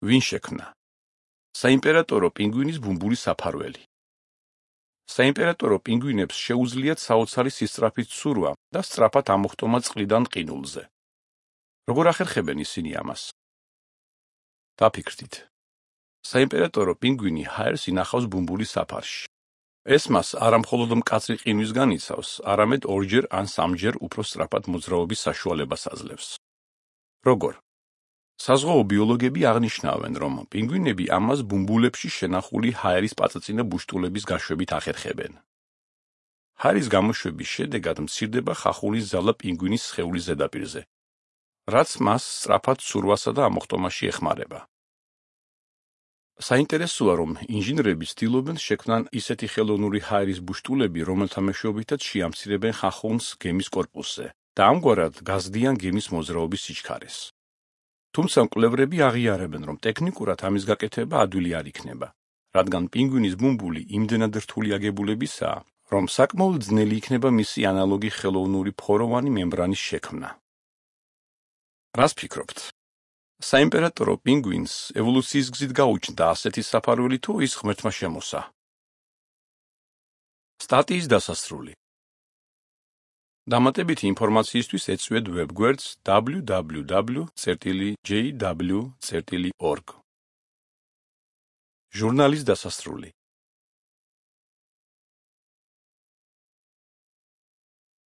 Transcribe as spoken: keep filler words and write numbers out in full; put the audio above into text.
ვინ შექმნა? საიმპერატორო პინგვინის ბუმბული საფარველი. საიმპერატორო პინგვინებს შეუძლიათ საოცარი სისწრაფით ცურვა და სწრაფად ამოხტომა წყლიდან ყინულზე. როგორ ახერხებენ ისინი ამას? დაფიქრდით. საიმპერატორო პინგვინი ჰაერს ინახავს ბუმბულის საფარში. ეს მას არა მხოლოდ მკაცრი ყინვისგან იცავს, არამედ ორჯერ ან სამჯერ უფრო სწრაფად მოძრაობის საშუალებას აძლევს. როგორ? საზღვაო ბიოლოგები აღნიშნავენ, რომ პინგვინები ამას ბუმბულებში შენახული ჰაერის პაწაწინა ბუშტულების გაშვებით ახერხებენ. ჰაერის გამოშვების შედეგად მცირდება ხახულის ძალა პინგვინის სხეულის ზედაპირზე, რაც მას სწრაფად ცურვასა და ამოხტომაში ეხმარება. საინტერესოა, რომ ინჟინრები ცდილობენ შექმნან ისეთი ხელოვნური ჰაერის ბუშტულები, რომელთა მეშვეობითაც შეამცირებენ ხახუნს გემის კორპუსზე და ამგვარად გაზრდიან გემის მოძრაობის სიჩქარეს. თუმცა მკვლევრები აღიარებენ, რომ ტექნიკურად ამის გაკეთება ადვილი არ იქნება, რადგან პინგვინის ბუმბული იმდენად რთული აგებულებისაა, რომ საკმაოდ ძნელი იქნება მისი ანალოგი ხელოვნური ფოროვანი მემბრანის შექმნა. რას ფიქრობთ? საიმპერატორო პინგვინს ევოლუციის გზით გაუჩნდა ასეთი საფარველი თუ ის ღმერთმა შემოსა? სტატიის დასასრული. დამატებითი ინფორმაციისთვის ეწვიეთ ვებგვერდს დაბლიუ დაბლიუ დაბლიუ წერტილი ჯეი დაბლიუ წერტილი ორგ. ჟურნალის დასასრული.